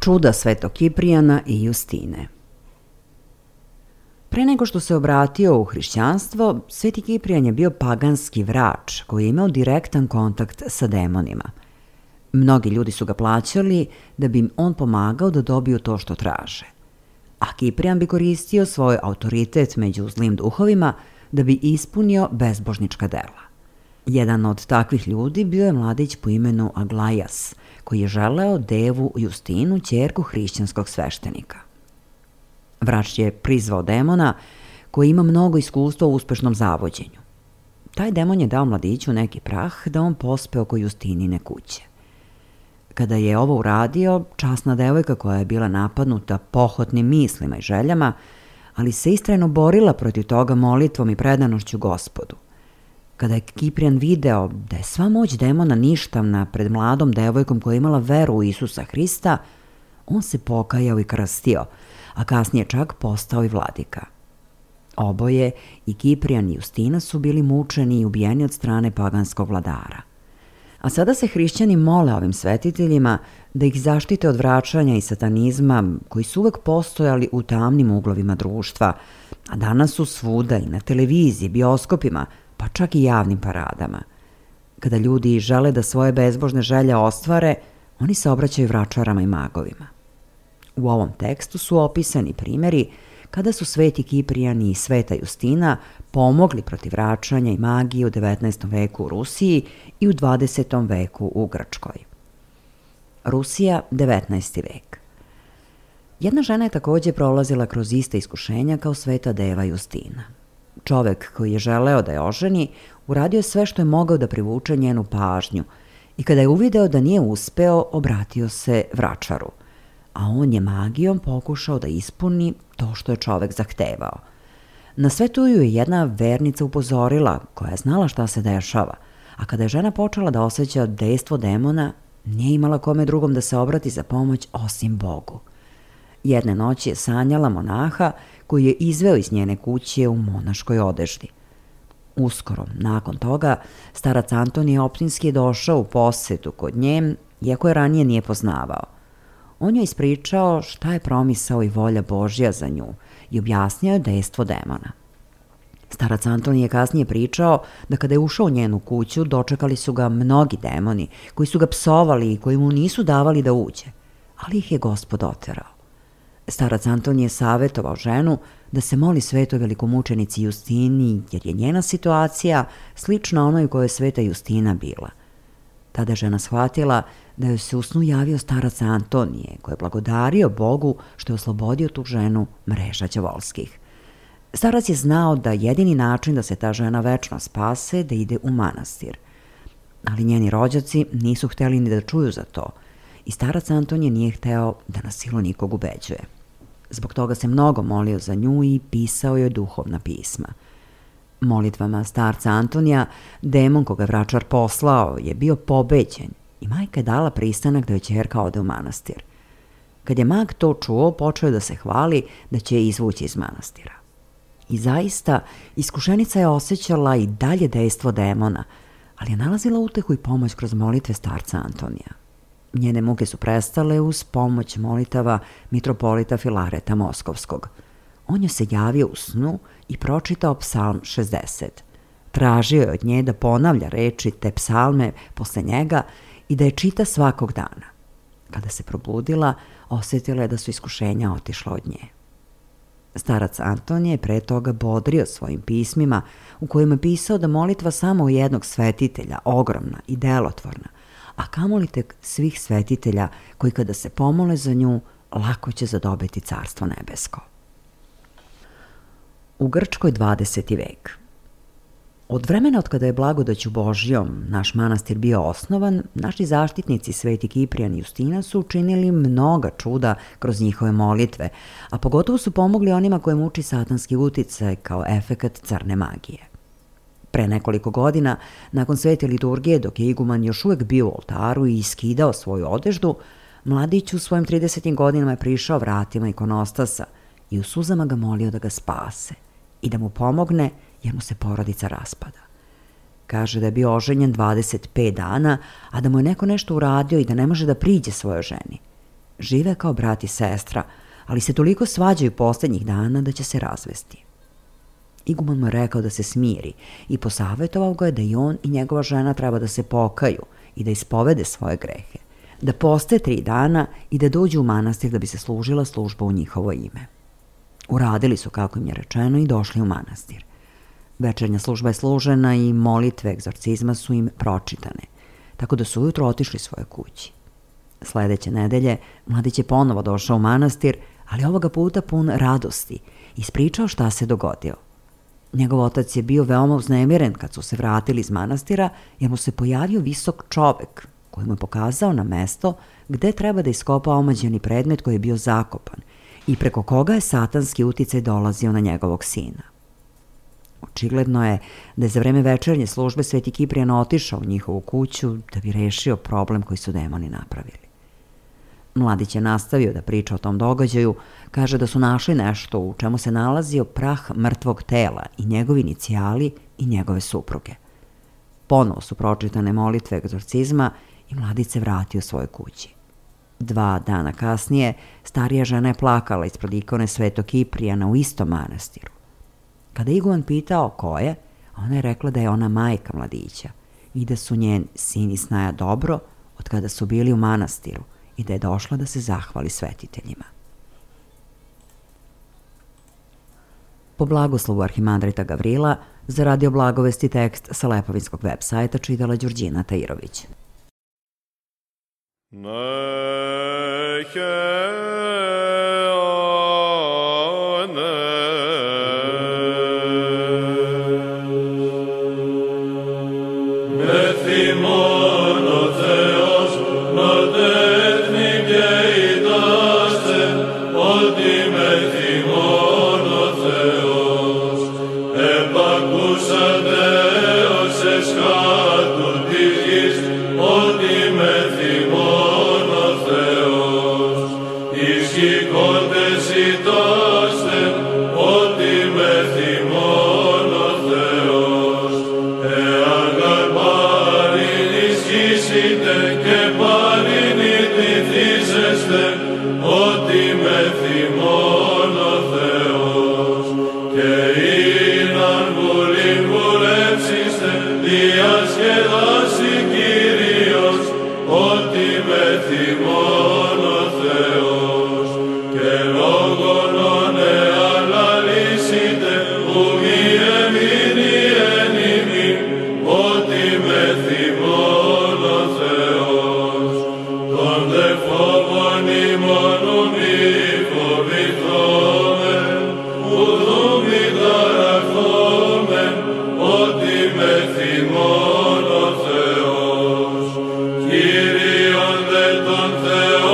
Čuda Svetog Kiprijana i Justine. Pre nego što se obratio u hrišćanstvo, Sveti Kiprijan je bio paganski vrač koji je imao direktan kontakt sa demonima. Mnogi ljudi su ga plaćali da bi im on pomagao da dobiju to što traže. A Kiprijan bi koristio svoj autoritet među zlim duhovima da bi ispunio bezbožnička dela. Jedan od takvih ljudi bio je mladić po imenu Aglajas, koji je želeo devu Justinu, ćerku hrišćanskog sveštenika. Vrač je prizvao demona koji ima mnogo iskustva u uspešnom zavođenju. Taj demon je dao mladiću neki prah da on pospe oko Justinine kuće. Kada je ovo uradio, časna devojka koja je bila napadnuta pohotnim mislima i željama, ali se istrajno borila protiv toga molitvom i predanošću Gospodu. Kada je Kiprijan video da je sva moć demona ništavna pred mladom devojkom koja je imala veru u Isusa Hrista, on se pokajao i krstio, a kasnije čak postao i vladika. Oboje, i Kiprijan i Justina, su bili mučeni i ubijeni od strane paganskog vladara. A sada se hrišćani mole ovim svetiteljima da ih zaštite od vraćanja i satanizma koji su uvek postojali u tamnim uglovima društva, a danas su svuda i na televiziji, bioskopima, pa čak i javnim paradama. Kada ljudi žele da svoje bezbožne želje ostvare, oni se obraćaju vračarama i magovima. U ovom tekstu su opisani primjeri kada su Sveti Kiprijan i Sveta Justina pomogli protiv vraćanja i magije u 19. veku u Rusiji i u 20. veku u Grčkoj. Rusija, 19. vek. Jedna žena je također prolazila kroz iste iskušenja kao Sveta deva Justina. Čovek koji je želeo da je oženi, uradio je sve što je mogao da privuče njenu pažnju i kada je uvideo da nije uspeo, obratio se vračaru, a on je magijom pokušao da ispuni to što je čovek zahtevao. Na sve to ju je jedna vernica upozorila, koja je znala šta se dešava, a kada je žena počela da osjeća dejstvo demona, nije imala kome drugom da se obrati za pomoć osim Bogu. Jedne noći je sanjala monaha koji je izveo iz njene kuće u monaškoj odeždi. Uskoro, nakon toga, starac Antonije Optinski je došao u posetu kod nje, iako je ranije nije poznavao. On je ispričao šta je promisao i volja Božja za nju i objasnio je dejstvo demona. Starac Antonije je kasnije pričao da kada je ušao u njenu kuću, dočekali su ga mnogi demoni koji su ga psovali i koji mu nisu davali da uđe, ali ih je Gospod oterao. Starac Antonije je savjetovao ženu da se moli svetoj velikomučenici Justini, jer je njena situacija slična onoj u kojoj je Sveta Justina bila. Tada je žena shvatila da joj se u snu javio starac Antonije, koji je blagodario Bogu što je oslobodio tu ženu mreža đavolskih. Starac je znao da jedini način da se ta žena večno spase da ide u manastir. Ali njeni rođaci nisu hteli ni da čuju za to i starac Antonije nije hteo da na silu nikog ubeđuje. Zbog toga se mnogo molio za nju i pisao joj duhovna pisma. Molitvama starca Antonija, demon koga vračar poslao je bio pobeđen i majka je dala pristanak da joj ćerka ode u manastir. Kad je mag to čuo, počeo je da se hvali da će je izvući iz manastira. I zaista, iskušenica je osjećala i dalje dejstvo demona, ali je nalazila utehu i pomoć kroz molitve starca Antonija. Njene muke su prestale uz pomoć molitava mitropolita Filareta Moskovskog. On joj se javio u snu i pročitao psalm 60. Tražio je od nje da ponavlja reči te psalme posle njega i da je čita svakog dana. Kada se probudila, osjetila je da su iskušenja otišla od nje. Starac Antonije je pre toga bodrio svojim pismima u kojima je pisao da molitva samo jednog svetitelja, ogromna i delotvorna, a kamoli tek svih svetitelja koji kada se pomole za nju, lako će zadobiti carstvo nebesko. U Grčkoj, 20. vek. Od vremena od kada je blagodaću Božjom naš manastir bio osnovan, naši zaštitnici Sveti Kiprijan i Justina su učinili mnoga čuda kroz njihove molitve, a pogotovo su pomogli onima koje muči satanski uticaj kao efekat crne magije. Pre nekoliko godina, nakon svete liturgije, dok je iguman još uvek bio u oltaru i iskidao svoju odeždu, mladić u svojim 30. godinama je prišao vratima ikonostasa i u suzama ga molio da ga spase i da mu pomogne jer mu se porodica raspada. Kaže da je bio oženjen 25 dana, a da mu je neko nešto uradio i da ne može da priđe svojoj ženi. Žive kao brat i sestra, ali se toliko svađaju poslednjih dana da će se razvesti. Iguman mu je rekao da se smiri i posavjetovao ga je da i on i njegova žena treba da se pokaju i da ispovede svoje grehe, da poste 3 dana i da dođu u manastir da bi se služila služba u njihovo ime. Uradili su kako im je rečeno i došli u manastir. Večernja služba je služena i molitve egzorcizma su im pročitane, tako da su ujutro otišli svoje kući. Sledeće nedelje mladić je ponovo došao u manastir, ali ovoga puta pun radosti, ispričao šta se dogodilo. Njegov otac je bio veoma uznemiren kad su se vratili iz manastira, jer mu se pojavio visok čovek koji mu je pokazao na mesto gde treba da iskopa omađeni predmet koji je bio zakopan i preko koga je satanski uticaj dolazio na njegovog sina. Očigledno je da je za vreme večernje službe Sveti Kiprijan otišao u njihovu kuću da bi rešio problem koji su demoni napravili. Mladić je nastavio da priča o tom događaju, kaže da su našli nešto u čemu se nalazio prah mrtvog tela i njegovi inicijali i njegove supruge. Ponovo su pročitane molitve egzorcizma i mladić se vratio svojoj kući. 2 dana kasnije starija žena je plakala ispred ikone Svetog Kiprijana u istom manastiru. Kada je iguman pitao ko je, ona je rekla da je ona majka mladića i da su njen sin i snaja dobro od kada su bili u manastiru i da je došla da se zahvali svetiteljima. Po blagoslovu arhimandrita Gavrila, za Radio Blagovesti tekst sa Lepovinskog web sajta čitala Đurđina Tajirović. Kyrion de ton Theos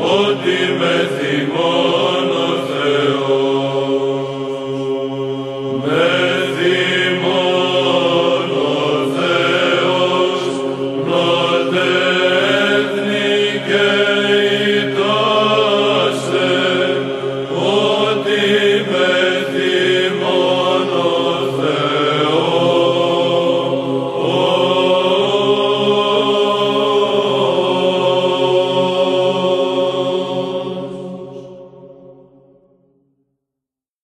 Ότι με θυμό